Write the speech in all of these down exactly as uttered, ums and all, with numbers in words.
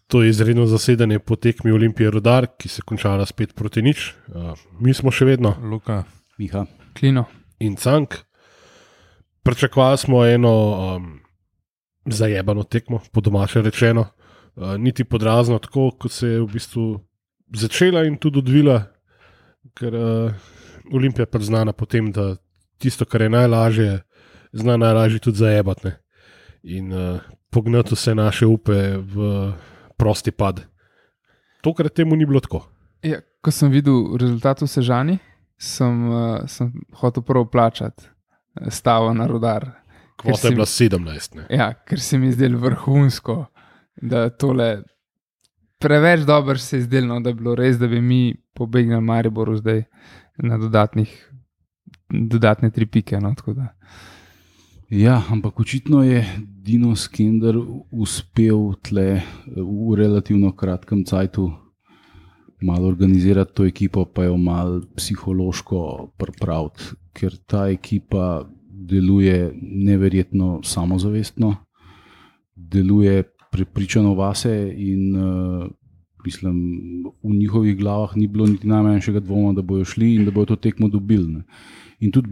To je izredno zasedanje po tekmi Olimpije Rudar, ki se končala spet proti nič. Uh, mi smo še vedno Luka, Miha, Klino in Cank. Pričakovali smo eno um, zajebano tekmo, po domače rečeno. Uh, niti podrazno tako, kot se je v bistvu začela in tudi odvila, ker uh, Olimpija je pa znana po tem, da tisto, kar je najlažje, zna najlažje tudi zajebati, ne? In uh, pognati vse naše upe v prosti pad. Tokrat temu ni bilo tako. Ja, ko sem videl rezultat v Sežani, sem, uh, sem hotel prvo plačati stavo na Rudar. Kvota je bila sedemnajst. Ne? Ja, ker se mi je zdelo vrhunsko, da tole preveč dobro se je zdelo, da bi bilo res, da bi mi pobegnili Mariboru zdaj na dodatnih, dodatne tri pike. No, tako da. Ja, ampak očitno je Dino Skender uspel tle v relativno kratkem cajtu malo organizirati to ekipo, pa jo malo psihološko pripraviti, ker ta ekipa deluje neverjetno samozavestno, deluje prepričano vase in uh, mislim, v njihovih glavah ni bilo niti najmanjšega dvoma, da bojo šli in da bojo to tekmo dobili. Ne. In tudi,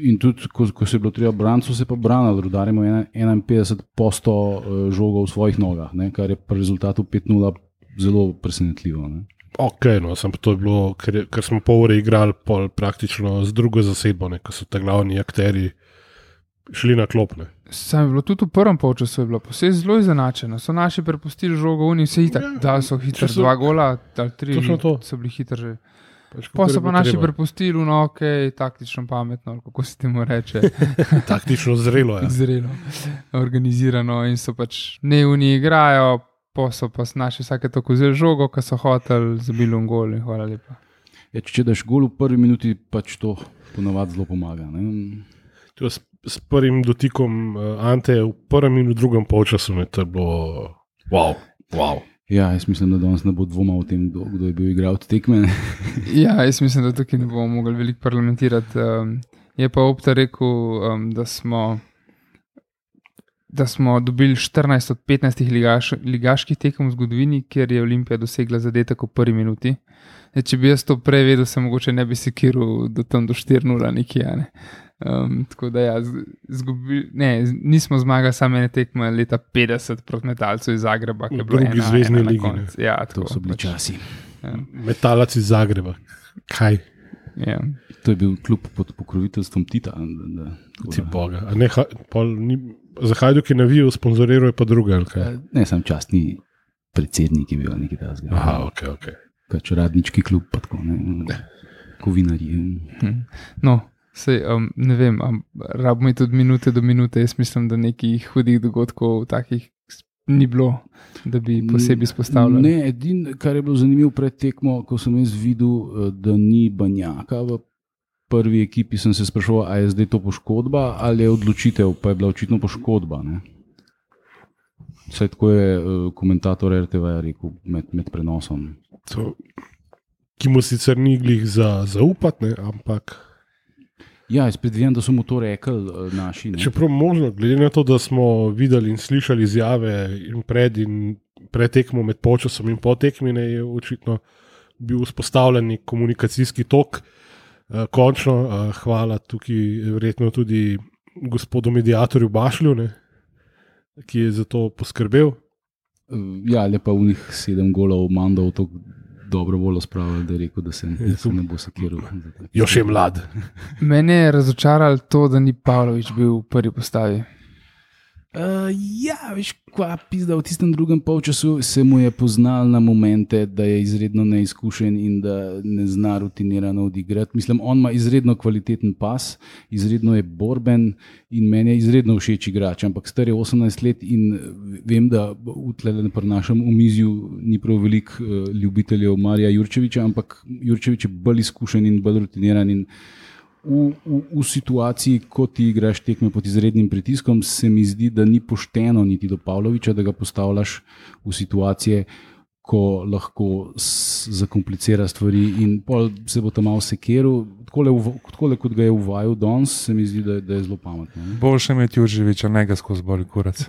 in tudi ko, ko se je bilo treba braniti, so se pa branili. Rudar ima enainpetdeset odstotkov žoga v svojih nogah, ne, kar je pri rezultatu pet nula zelo presenetljivo. Ne. Ok, no, sem pa to je bilo, ker, ker smo pol ure igrali pol praktično z drugo zasedbo, ne, ko so ta glavni akteri šli na klopne. Sam je bilo tudi v prvem polčasu, je bilo vse zelo izenačeno. So naši prepustili žogo, oni vse hitar, ja, da so hitri, dva gola, ali tri, so bili hitri že. Pač, pa so pa naši treba. Prepustili, no, ok, taktično pametno, kako se temu reče. Taktično zrelo, ja. Zrelo, organizirano in so pač neuni igrajo, pa so pa naši vsake tako vzeli žogo, ko so hoteli, zabili un gol in hvala lepa. Ja, če daš gol v prvi minuti, pač to ponavadi zelo pomaga. Ne? To s, s prvim dotikom uh, Ante v prvem in v drugem polčasu, ne, to je bilo wow, wow. Ja, jaz mislim, da danes ne bo dvoma o tem, kdo, kdo je bil igral te tekme. Ja, jaz mislim, da tukaj ne bomo mogli veliko parlamentirati. Um, je pa Opta rekel, um, da smo da smo dobili štirinajst od petnajstih ligaš, ligaških tekem v zgodovini, kjer je Olimpija dosegla zadetek v prvi minuti. E, če bi jaz to prej vedel, se mogoče ne bi sekiral do tam do štiri nula nekje. Ne? Um, tako da ja, zgubi, ne, nismo zmagali samo ene tekme leta petdeset proti Metalcu iz Zagreba, ki je bilo drugi zvezni ligi. Ja, to so bili pač časi. Ja. Metalac iz Zagreba. Kaj? Ja. To je bil klub pod pokroviteljstvom Tita. Da, Ti boga. A ne, pol, ni, za Hajduk je navijal, sponzoriral je pa druga. Ne, sam častni predsednik je bil nekaj tazga. Aha, ok, ok. Pač radnički klub, pa tako, ne, kovinarji. Hm. No, sej, um, ne vem, um, rabimo tudi minute do minute, jaz mislim, da nekih hudih dogodkov takih ni bilo, da bi posebej izpostavljali. Ne, edin, kar je bilo zanimivo pred tekmo, ko sem jaz videl, da ni Banjaka v prvi ekipi, sem se spraševal, a je zdaj to poškodba ali je odločitev, pa je bila očitno poškodba. Ne? Vse tako je uh, komentator R T V rekel med, med prenosom. To, ki mu sicer ni glih za zaupati, ampak... Ja, jaz predvijem, da so mu to rekli uh, naši. Ne? Čeprav možno, glede na to, da smo videli in slišali izjave in pred in pred tekmo med polčasom in po tekmi, je očitno bil vzpostavljen komunikacijski tok. Uh, končno, uh, hvala tukaj verjetno tudi gospodu mediatorju Bašlju, ne, ki je za to poskrbel. Uh, ja, lepa v njih sedem golov mandal to dobro voljo spravil, da je rekel, da se, da se ne bo sekiral. Još je mlad. Mene je razočaralo to, da ni Pavlović bil v prvi postavi. Uh, ja, veš, kva pizda, v tistem drugem polčasu se mu je poznal na momente, da je izredno neizkušen in da ne zna rutinirano odigrati. Mislim, on ima izredno kvaliteten pas, izredno je borben in meni je izredno všeč igrač, ampak star je osemnajst let in vem, da v tlele pri našem omizju ni prav veliko uh, ljubiteljev Marija Jurčevića, ampak Jurčević je bolj izkušen in bolj rutiniran in V, v, v situaciji, ko ti igraš tekme pod izrednim pritiskom, se mi zdi, da ni pošteno niti do Pavlovića, da ga postavljaš v situacije, ko lahko s, zakomplicira stvari in pol se bo tam malo sekeril. Tako kot ga je uvajal danes, se mi zdi, da, da je zelo pametno. Ne? Boljše imeti Jurževiča, ne ga skozi boli kurac.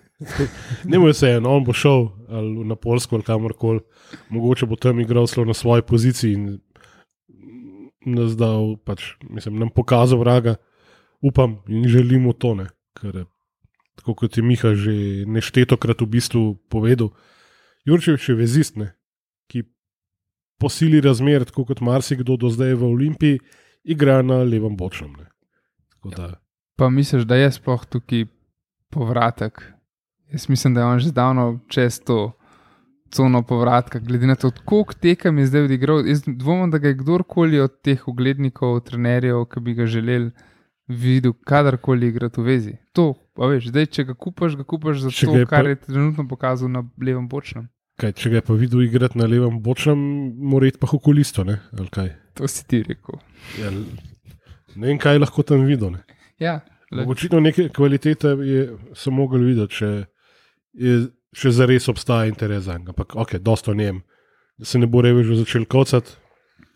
Ne more se eno, on bo šel ali na Poljsko ali kamorkoli, mogoče bo tam igral slo na svoji poziciji in nas dal, pač, mislim, nam pokazal vraga, upam in želimo to, ne, ker tako kot je Miha že neštetokrat v bistvu povedal, Jurčevič je vezist, ne, ki po sili razmer, tako kot marsikdo do zdaj v Olimpiji, igra na levem bočnem. Ne. Tako da. Pa misliš, da je sploh tukaj povratek? Jaz mislim, da je on že zdavno čez to cono povratka, glede na to, koliko tekem je zdaj odigral. Jaz dvomim, da ga je kdorkoli od teh uglednikov, trenerjev, ki bi ga želeli videl, kadarkoli igrati v vezi. To, pa veš, zdaj, če ga kupaš, ga kupaš za če to, kar pa je trenutno pokazal na levem bočnem. Kaj, če ga je pa videl igrati na levem bočnem, mora iti pa okulisto, ne? Ali kaj? To si ti rekel. Ja, ne vem, kaj lahko tam videl, ne? Ja. Očitno neke kvalitete je, so mogli videti, če, je, če zares obstaja interes za njega. Ampak, ok, dosto njem. Da se ne bo revež začel kocati,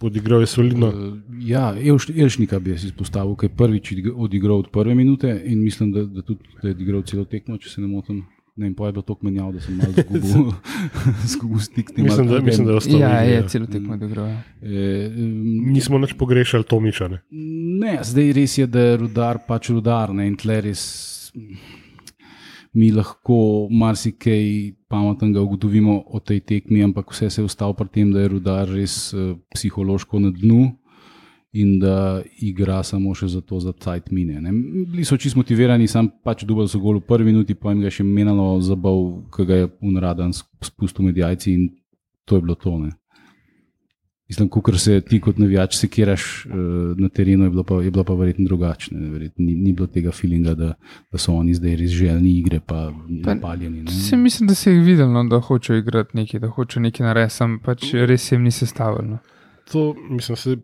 podigral je solidno. Uh, ja, Elš, Elšnika bi jaz izpostavil, ki je prvič odigral od prve minute in mislim, da, da tudi da je odigral celo tekmo, če se ne motim. Ne vem, pa je bilo toliko menjav, da sem malo zgubil, zgubil stik. Mislim, da, mislim, da je ostalo. Ja, je celo tekmo odigral. E, um, Nismo nič pogrešali Tomiča, ne? Ne, zdaj res je, da je Rudar pač Rudar, ne, in tle res mi lahko marsikaj pametnega ugotovimo o tej tekmi, ampak vse se je ostalo pri tem, da je Rudar res uh, psihološko na dnu in da igra samo še za to, za cajt mine. Ne. Bili so čisto motivirani, sam pač dubal so gol v prvi minuti, pa jim ga še menalo zabav, ki ga je unradan spustil med jajci in to je bilo to. Ne. Mislim, kukor se ti kot navijač sekiraš uh, na terenu, je bilo pa, je bilo pa verjetno drugačne. Verjetno ni, ni bilo tega feelinga, da, da so oni zdaj res željni igre, pa napaljeni. Se mislim, da se jih videl, no, da hočejo igrati nekaj, da hočejo nekaj narediti, sam pač res jim ni sestavljeno. To, mislim, se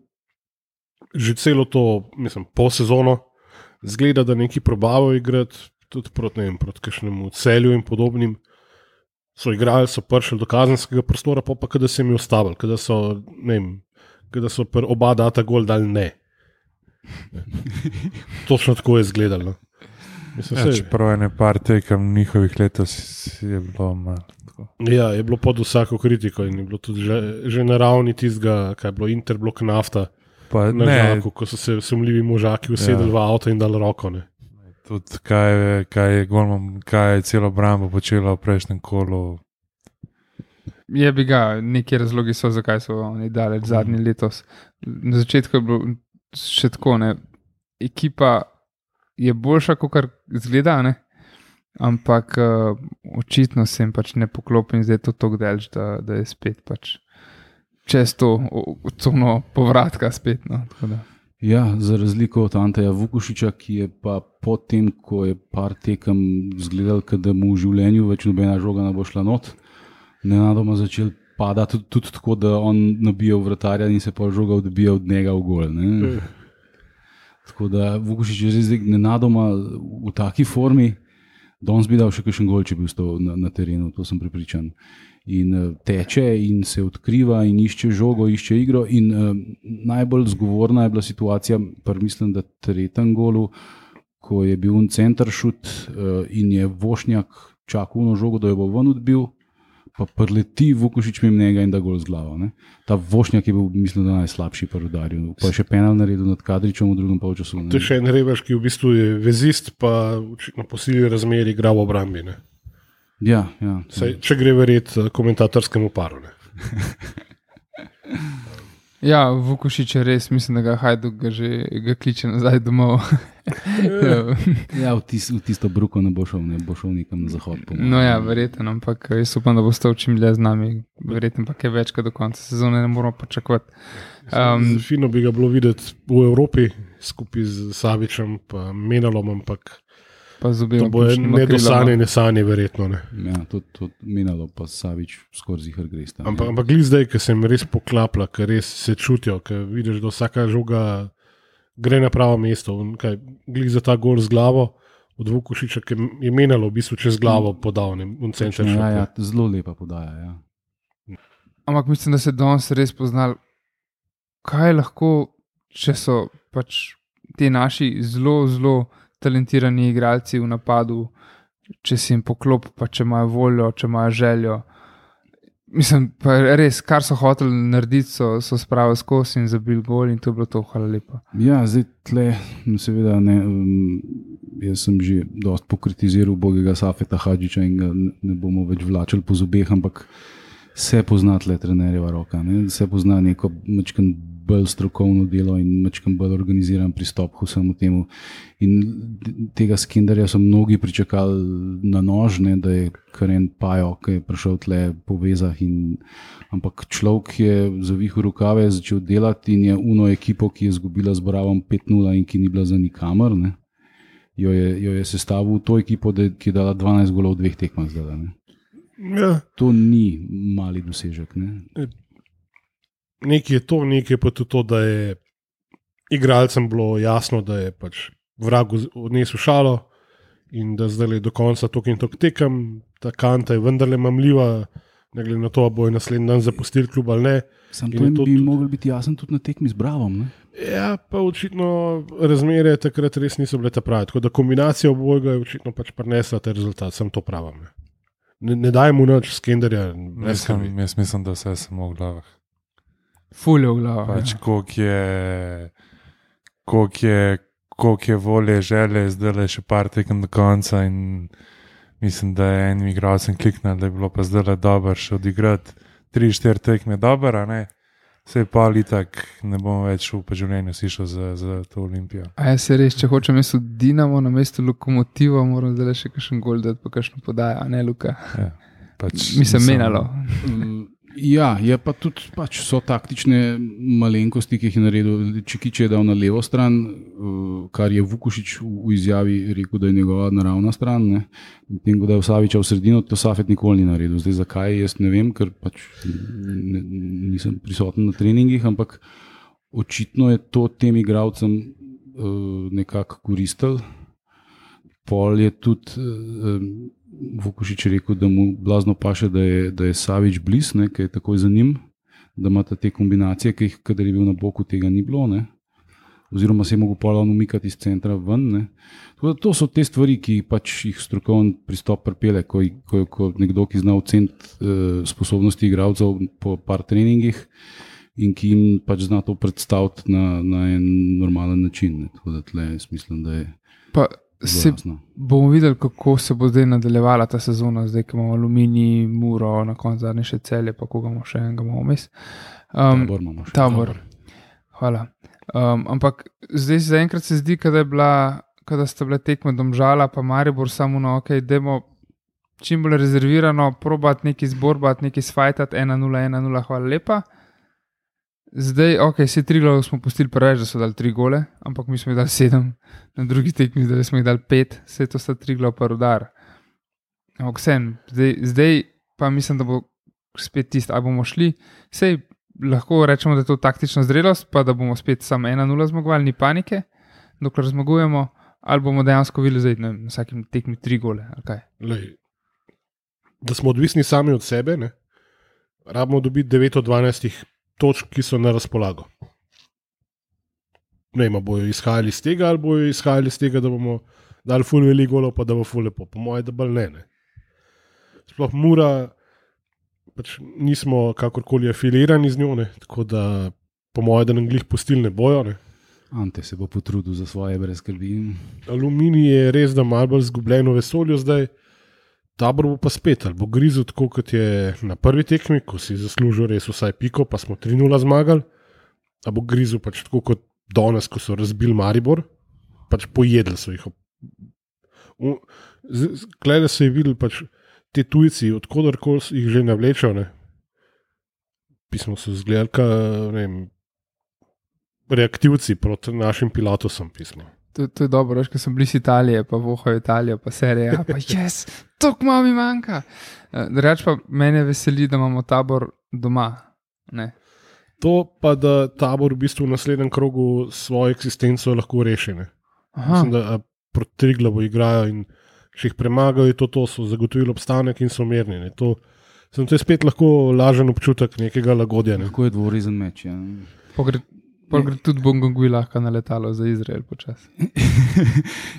že celo to, mislim, pol sezono zgleda, da neki probavajo igrati, tudi proti, ne vem, proti kakšnemu Celju in podobnim. So igrali, so prišli do kazenskega prostora, pa pa kada se jim je ustavili, kada so, ne vem, kada so pr oba data gol dali ne. ne. Točno tako je izgledalo. Ja, čeprav je ne par tekem njihovih letos je bilo malo tako. Ja, je bilo pod vsako kritiko in je bilo tudi že, že na ravni tistega, kaj je bilo Interblok nafta, pa na ne, žaku, ko so se sumljivi možaki usedeli ja. v avto in dali roko. Ne. Tudi kaj, kaj je golman, kaj je celo Brambo počelo v prejšnjem kolu. Je bi ga, neki razlogi so, zakaj so oni dali zadnji letos. Na začetku je bilo še tako, ne. Ekipa je boljša, kot kar zgleda, ne. Ampak uh, očitno se jim pač ne poklopi in zdaj je to tako delč, da, da je spet pač čez to cono povratka spet. No, ja, za razliko od Anteja Vukušiča, ki je pa potem, ko je par tekem zgledal, da mu v življenju več nobena žoga ne bo šla not, nenadoma začel padati tudi, tudi tako, da on nabija v vratarja in se pa žoga odbija od njega v gol. Ne? Tako da Vukušič je zdaj nenadoma v taki formi, danes bi dal še kakšen gol, če bi ostal na, na terenu, to sem prepričan. In uh, teče in se odkriva in išče žogo, išče igro in uh, najbolj zgovorna je bila situacija, par mislim, da tretjem golu, ko je bil un center šut uh, in je Vošnjak čakal na žogo, da jo bo ven odbil, pa prleti Vukušič mimo njega in da gol z glavo. Ne? Ta Vošnjak je bil, mislim, da najslabši pa Rudarju, pa je še penal naredil nad Kadričem v drugem polčasu. To je še en Revaš, ki v bistvu je vezist, pa na posili razmeri igra v obrambi. Ne? Ja, ja. Saj, če gre verjeti komentatorskemu paru. Ne? Ja, Vukušič je res, mislim, da ga Hajduk ga že ga kliče nazaj domov. Ja, v, tis, v tisto bruko ne bo šel, ne bo šel nekam na zahod. Pomalo. No ja, verjetno, ampak jaz upam, da bo stal čim dlje z nami. Verjetno pa kaj več, kot do konca sezone ne moramo pričakovati. Um, Fino bi ga bilo videti v Evropi, skupaj z Savičem pa Menalom, ampak pa to bo nedosanje, nesanje verjetno. Ne. Ja, to, to Menalo pa Savič skoraj zihar gresta. Ampak, ampak glih zdaj, ker se jim res poklapla, ker res se čutijo, ker vidiš, da vsaka žoga gre na pravo mesto. Kaj, glih za ta gol z glavo od Vukušiča, ker je Menalo v bistvu čez glavo podal. Ne, ja, ja, zelo lepa podaja, ja. ampak mislim, da se danes res poznali, kaj lahko, če so pač ti naši zelo, zelo talentirani igralci v napadu, če si jim poklop, pa če imajo voljo, če imajo željo. Mislim, pa res, kar so hoteli narediti, so, so spravili skozi in zabili gol in to je bilo to, hvala lepa. Ja, zdaj tle, seveda ne, um, jaz sem že dost pokritiziral bogega Safeta Hadžiča in ga ne bomo več vlačili po zobeh, ampak se pozna tle trenerjeva roka, ne? Se pozna neko mačkan bolj strokovno delo in mačkan bolj organiziran pristop k vsemu temu. In tega Skinderja so mnogi pričakali na nož, ne, da je kar en pajo, ki je prišel tle po vezah. In, ampak človek je zavihal rokave, začel delati in je uno ekipo, ki je izgubila z Bravom pet nula in ki ni bila za nikamor, ne, jo je, jo je sestavil to ekipo, da, ki je dala dvanajst golov v dveh tekmah zdaj. Ne. Ja. To ni mali dosežek. Ne. Nekaj je to, nekaj je pa tudi to, da je igralcem bilo jasno, da je pač vrag odnesel šalo in da zdaj je do konca tok in tok tekem, ta kanta je vendarle mamljiva, ne glede na to, ali bojo naslednji dan zapustili klub ali ne. Sam to bi tudi mogel biti jasen tudi na tekmi z Bravom. Ne? Ja, pa očitno razmere takrat res niso bile ta pravi, tako da kombinacija obojega je očitno pač prinesla ta rezultat, sem to pravim. Ne, ne, ne daj mu nič Skinderja. Mislim, jaz mislim, da vse samo v glavah. Fulje v glavo. Pač, ja. koliko je, koliko je, koliko je volje, želje, zdaj le še par tekem do konca in mislim, da je enim igralcem kliknil, da je bilo pa zdaj le dobro še odigrati tri, štiri tekme dobro, a ne? Sej pa ali tak ne bom več v življenju sišel za, za to Olimpijo. A jaz se res, če hočem mesto Dinamo na mesto Lokomotiva, moram zdaj le še kakšen gol dati, pa kakšno podajo, a ne Luka? Ja, pač, mislim, menalo. Ja, je pa tudi pač so taktične malenkosti, ki jih je naredil. Čikič je dal na levo stran, kar je Vukušić v izjavi rekel, da je njegova naravna stran. Ne. Tem, da je Saviča v sredino, to Safet nikoli ni naredil. Zdaj zakaj, jaz ne vem, ker pač ne, nisem prisoten na treningih, ampak očitno je to tem igralcem uh, nekako koristil. Pol je tudi uh, Vukušić rekel, da mu blazno paše, da je, da je Savič bliz, ne, ki je takoj za njim, da ima te kombinacije, ki jih, kadar je bil na boku, tega ni bilo, ne. Oziroma se je mogel pol umikati iz centra ven. Ne. To so te stvari, ki pač jih strokovni pristop pripelje, ko, ko, ko nekdo, ki zna oceniti uh, sposobnosti igralcev po par treningih in ki jim pač zna to predstaviti na, na en normalen način. Ne. Tako da tle jaz mislim, da je pa se bomo videli, kako se bo zdaj nadaljevala ta sezona, zdaj, ko imamo Aluminij, Muro, na koncu zadnje še Celje, pa koga imamo še enega imamo vmes. Um, tabor imamo še. Tabor. Hvala. Um, ampak zdaj zaenkrat se zdi, kada je bila, kada sta bile tekme Domžala pa Maribor samo na ok, dajmo čim bolj rezervirano probati neki zborbati, neki sfajtati, ena nula, ena nula, hvala lepa. Zdaj, ok, vse tri glavo smo pustili preveč, da so dali tri gole, ampak mi smo jih dali sedem, na drugi tekmi zdaj smo jih dali pet, vse to sta tri glavo pa Rudar. Ampak vsem, zdaj, zdaj pa mislim, da bo spet tisto, ali bomo šli, sej lahko rečemo, da je to taktična zrelost, pa da bomo spet samo ena nula zmagovali, ni panike, dokler zmagujemo, ali bomo dejansko videli zdaj, ne, na vsakem tekmi tri gole, ali kaj. Lej, da smo odvisni sami od sebe, ne, rabimo dobiti devet od dvanajstih točk, ki so na razpolago. Ne vem, bojo izhajali iz tega, ali bojo izhajali iz tega, da bomo dali ful veliko golov, pa da bo ful lepo. Po moje, da bolj ne, ne. Sploh Mura, pač nismo kakorkoli afilirani z njo, ne, tako da po moje, da nam glih pustili ne bojo, ne. Ante se bo potrudil za svoje brez skrbi. Aluminij je res, da malo bolj zgubljeno vesolju zdaj, Tabor bo pa spet, ali bo grizel tako, kot je na prvi tekmi, ko si zaslužil res vsaj piko, pa smo tri nula zmagali, ali bo grizel pač tako kot danes, ko so razbili Maribor, pač pojedli so jih. Glede se je videl, pač te tujci, odkodarkoli jih že navlečejo, ne, pismo so zgledali, ka, ne vem, reaktivci proti našim pilotosom, pismo. To, to je dobro, veš, ko sem bliz Italije, pa vohajo Italijo, pa serija, pa jes, tok malo mi manjka. Reč pa mene veseli, da imamo Tabor doma. Ne. To pa, da Tabor v bistvu v naslednjem krogu svojo eksistenco lahko reši. Ne. Mislim, da proti Triglavu igrajo in če jih premagajo, to, to so zagotovili obstanek in so mirni. Ne. To Sem to je spet lahko lažen občutek nekega lagodja. Ne? Lahko je dvorezen meč. Ja. Pogre, pogre tudi Bongongui lahko na letalo za Izrael počasi.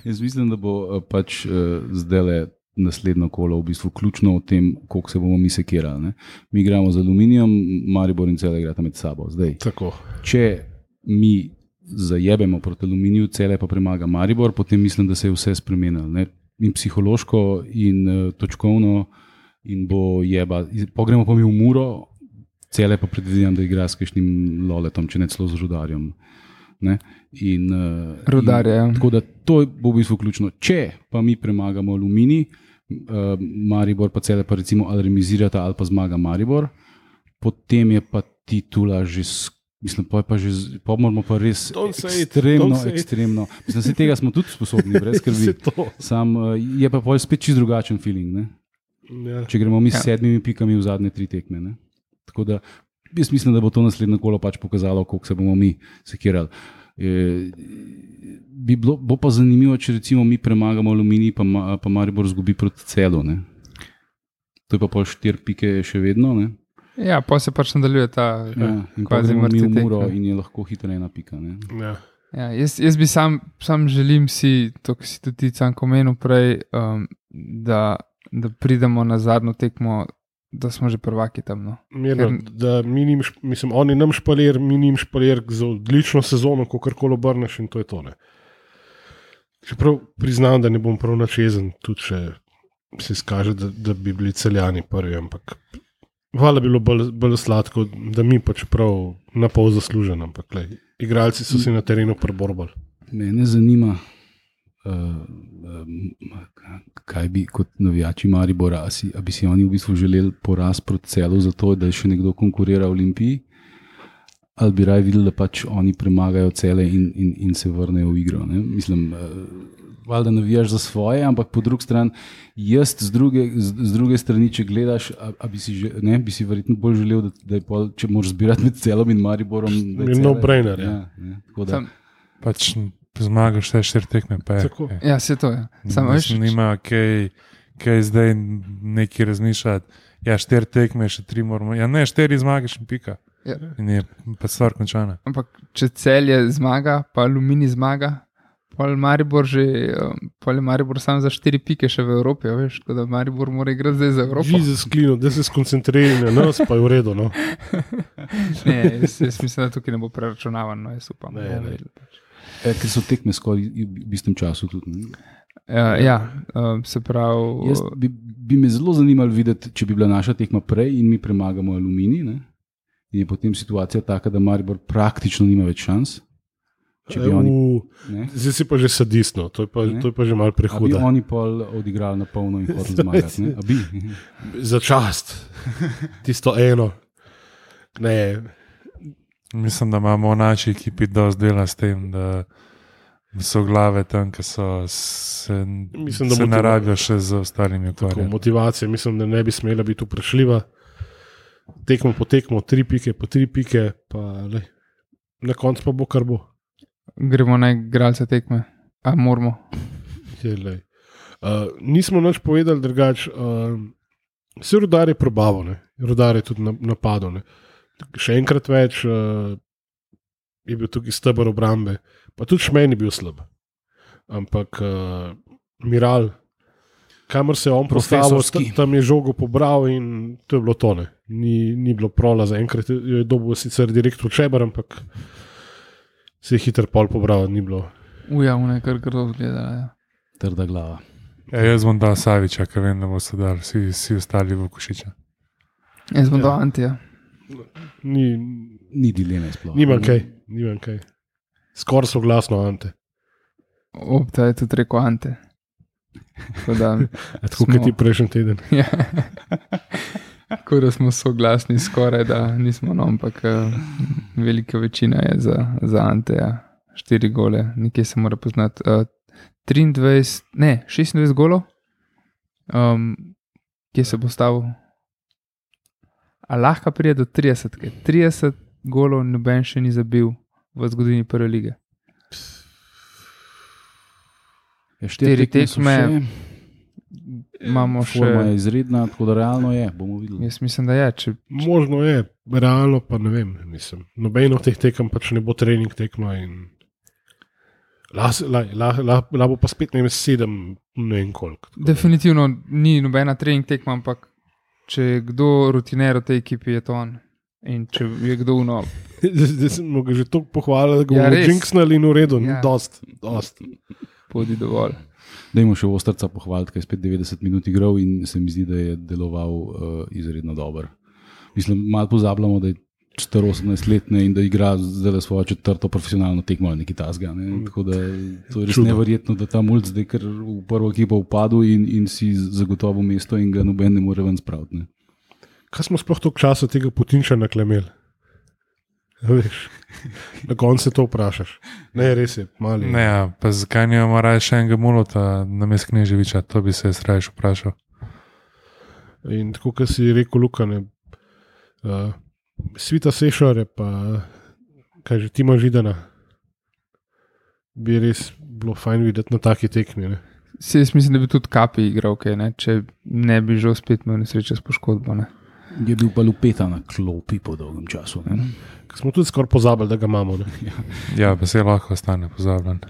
Jaz mislim, da bo uh, pač uh, zdaj le naslednjo kolo v bistvu ključno o tem, koliko se bomo mi sekirali. Ne? Mi igramo z Aluminijem, Maribor in Celje igrata med sabo. Zdaj, Tako. če mi zajebemo proti Aluminiju, Celje pa premaga Maribor, potem mislim, da se je vse spremenilo. Ne? In psihološko, in uh, točkovno, in bo jeba. Pogremo pa mi v Muro, Celje pa predvidevam, da igra s kakšnim Loletom, če ne celo z Rudarjem. Ne? In, uh, Rudarje, ja. in, tako da to bo v bistvu ključno. Če pa mi premagamo Aluminij, uh, Maribor pa Celje pa recimo ali remizirata ali pa zmaga Maribor, potem je pa titula že skoraj. Mislim, pa je pa že, pa moramo pa res Don't say it, ekstremno, don't say it. ekstremno. Mislim, se tega smo tudi sposobni, brez skrbi. Saj to. Sam uh, je pa pol spet čist drugačen feeling, ne? Ja. Če gremo mi s Ja. sedmimi pikami v zadnje tri tekme. Ne? Tako da jaz mislim, da bo to naslednje kolo pač pokazalo, koliko se bomo mi sekirali. E, bi bilo, bo pa zanimivo, če recimo mi premagamo Aluminij, pa, ma, pa Maribor zgubi proti Celu. Ne? To je pa pol štiri pike še vedno. Ne? Ja, pa se pač nadaljuje ta Ja, in pa kvazi gremo mi mrtvi v Muro tek. in je lahko hitro ena pika. Ne? Ja. Ja, jaz, jaz bi sam, sam želim si, to, kar si tudi ti Canko omenil prej, um, da, da pridemo na zadnjo tekmo, da smo že prvaki tam. No. Mirno, Ker- da mi njim, šp- mislim, oni nam špalir, mi njim špalir za odlično sezono, ko karkoli obrneš in to je to. Ne. Čeprav priznam, da ne bom prav načezen, tudi če se izkaže, da, da bi bili Celjani prvi, ampak hvala bi bilo bolj, bolj sladko, da mi pač prav na pol zaslužen, ampak lej, igralci so si na terenu preborbali. Mene zanima, uh, um, kaj bi kot navijači Maribora, a, si, a bi si oni v bistvu želeli poraz proti Celu, zato da je še nekdo konkurira Olimpiji, ali bi raje videli, da pač oni premagajo Celje in, in, in se vrnejo v igro. Ne? Mislim, uh, valjda navijaš za svoje, ampak po drugi strani, jaz z druge, z, z druge strani, če gledaš, a, a bi, si že, ne, bi si verjetno bolj želel, da, da je pol, če moraš zbirati med Celom in Mariborom. da je Je Celje- no-brainer, ja. ne, tako da, Sam, Pač zmagaš vse štiri tekme. Pa je, Tako. je. ja, se to je. Sam, veš, Mislim, nima kaj, kaj zdaj neki razmišljati. Ja, štiri tekme, še tri moramo. Ja, ne, štiri zmagaš in pika. Ja. In je pa stvar končana. ampak če Celje zmaga, pa Aluminij zmaga, pol Maribor že, um, pol je Maribor sam za štiri pike še v Evropi, a veš, tako da Maribor mora igrati zdaj za Evropo. Žize sklino, da se skoncentriraj na nas, pa je v redu. No. Ne, jaz, jaz mislim, da tukaj ne bo preračunavan, no, jaz upam. Ne, da bomo ne. videli pač. e, ker so tekme skoraj v istem času tudi. Ne? Ja, ja, um, se pravi, Jaz bi, bi me zelo zanimalo videti, če bi bila naša tekma prej in mi premagamo Aluminij. Ne? In je potem situacija taka, da Maribor praktično nima več šans. Če bi oni, U, ne? zdaj si pa že sadistno, to je pa, Ne. to je pa že malo A bi prehudo. oni pol odigrali na polno in hoteli zmagati. Ne? A bi? Za čast, tisto eno. Ne, Mislim, da imamo v naši ekipi dosti dela s tem, da so glave tam, ki so se, Mislim, da se motiva- ne rabijo še z ostalimi tako, ukvarjati. motivacija mislim, da ne bi smela biti vprašljiva. Tekmo po tekmo, tri pike po tri pike, pa lej, na koncu pa bo kar bo. gremo na igralce tekme, a moramo. Je, lej. Uh, nismo nič povedali drugače. Uh, vse Rudar je probavo, ne. Rudar je tudi na- napadal. Ne. Še enkrat več uh, je bil tukaj steber obrambe, pa tudi Šmen je bil slab. Ampak uh, Miral, kamor se je on postavil, Profesorski. ta- tam je žogo pobral in to je bilo tone. Ni, ni bilo prola za enkrat, jo je dobil sicer direktor Čeber, ampak se je hiter pol pobral, ni bilo. Uja,une kar grdo gledala. Ja. Trda glava. Ja, jaz bom dal Saviča, ker vem, da bo se dal vsi, vsi ostali v Košiča. Jaz bom Ja. ja. do Antija. Ni, Ni dileme sploh. nimam kaj, nimam kaj. Skoraj so glasno, Ante. Opta je tudi rekel Ante. Tako da, Tako kot ti prejšnji teden. ja. Tako da smo soglasni skoraj, da nismo, no, ampak uh, velika večina je za, za Anteja. Štiri gole, nekje se mora poznati. Uh, triindvajset, ne, šestindvajset golov, um, kje se bo stavil. A lahko pride do trideset, trideset golov noben še ni zabil v zgodovini prve lige. Ja, Štiri tekme so tekme. še. imamo še. Forma je izredna, tako da realno je, bomo videli. Jaz mislim, da je. Če, Možno je, realno pa ne vem. Mislim. Nobeno od teh tekem pač ne bo trening tekma. Lahko bo pa spet ne vem, sedem, ne vem koliko. definitivno ni nobena trening tekma, ampak če je kdo rutiner v tej ekipi, je to on. In če je kdo uno. Zdaj smo ga že toliko pohvalili, da ga Ja, bomo res. jinxnali in v redu. Ja. Ja. Dost, dost. Podi dovolj. Dajmo še Ostrca pohvaliti, ki je spet devetdeset minut igral in se mi zdi, da je deloval uh, izredno dobro. Mislim, malo pozabljamo, da je star osemnajst let in da igra zdaj svojo četrto profesionalno tekmo ali nekaj tasga. Ne? Tako da to je res Čudo. neverjetno, da ta mulj zdaj kar v prvo ekipo upadel in, in si zagotovo mesto in ga noben ne more ven spraviti. Ne? Kaj smo sploh toliko časa tega Putinča naklemeli? Veš, na koncu se to vprašaš. Ne, res je, mali. Ne, ja, pa zakaj nimamo raje še enega mulota na mest Kneževiča, to bi se jaz raje še vprašal. In tako, kot si rekel, Luka, ne, uh, Svita Sešare, pa kaj že Tima Židana, bi res bilo fajn videti na taki tekmi. Ne? Se, jaz mislim, da bi tudi Kapi igral, okay, ne? Če ne bi že spet imel nesreče s poškodbo. Ne? Je bil pa Lupeta na klopi po dolgem času. Ne? Ker smo tudi skoraj pozabili, da ga imamo. Ne? Ja, pa se lahko ostane pozabljen.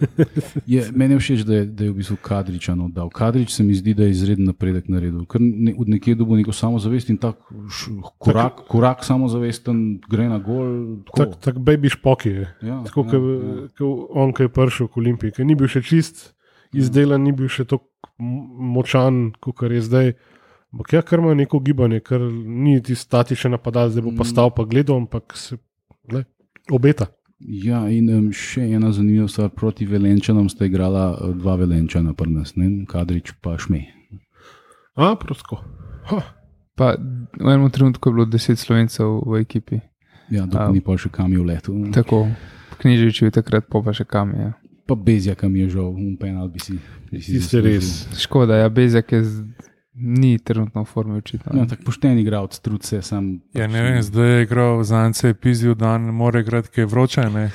Je, meni je všeč, da je, da je v bistvu Kadriča oddal. Kadrič se mi zdi, da je izreden napredek naredil. Ker ne, od nekje dobil neko samozavest in tak š, korak, korak samozavesten gre na gol. Tako tak baby špoki je. Ja, Tako, ja, ja, ja. ja. On, ki je prišel v Olimpiji, ki ni bil še čist izdelan, ni bil še tako močan, kot je zdaj. Ampak ja, kar ima neko gibanje, ker ni ti statičen napadal, zdaj bo pa stal pa gledal, ampak se le, obeta. Ja, in um, še ena zanimiva stvar, proti Velenčanom sta igrala uh, dva Velenčana pri nas, ne? Kadrič pa Šmej. A, prosto. Pa v enem trenutku je bilo deset Slovencev v ekipi. Ja, dokaj A. ni pa še kam je v letu. Tako, Kneževič je takrat pa še kam je. Pa Bezjaka mi je žal, un penal bi si. Bi si Tiste res. Škoda, ja, Bezjak je z, ni trenutno v formi očitno. Ja, tako pošten igralec, trud se sam. Ja, ne vem, zdaj je igral Zance, je pizdil dan, ne more igrati, ki je vroče, ne?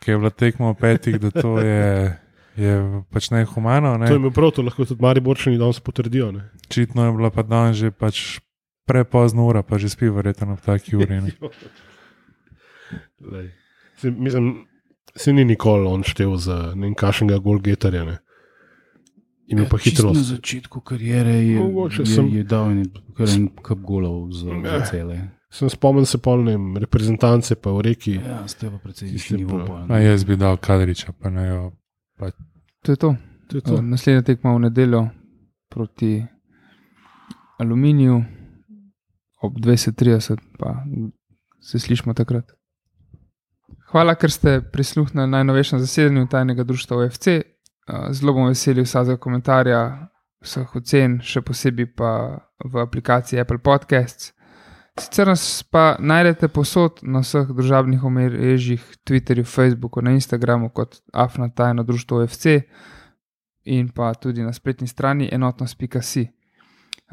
Ki je bila tekma v petih, da to je, je pač nehumano. Ne? To je imel prav, to lahko tudi Mariborčani danes potrdijo. Ne? Očitno je bila pa dan že pač prepozna ura, pa že spi verjetno ob taki uri. Ne? Lej. Se, mislim, se ni nikoli on štev za nekakšnega golgetarja. Ne? Imel pa Čisto na hitrost. začetku kariere je, Mogoče je, sem- je dal en, kar en kup golov za, za cele. Sem spomnil se polnem reprezentance, pa v reki. Ja, ste pa precej Tisti višji nivo. prav. pa, A ne. jaz bi dal Kadriča, pa ne jo. To je to. To je to. Uh, naslednja tekma v nedeljo proti Aluminiju ob dvajset trideset, pa se slišimo takrat. Hvala, ker ste prisluhnili najnovejšem zasedanju tajnega društva O F C. Uh, zelo bom veseli vsakega komentarja, vseh ocen, še posebej pa v aplikaciji Apple Podcasts. Sicer nas pa najdete posod na vseh družabnih omrežjih, Twitterju, Facebooku, na Instagramu kot afna tajno društvo O F C in pa tudi na spletni strani enotnost pika si.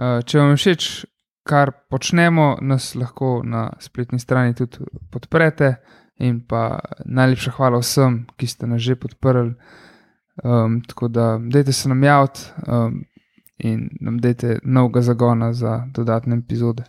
Uh, če vam je všeč, kar počnemo, nas lahko na spletni strani tudi podprete in pa najlepša hvala vsem, ki ste nas že podprli. Um, tako da dajte se nam javiti um, in nam dajte novega zagona za dodatne epizode.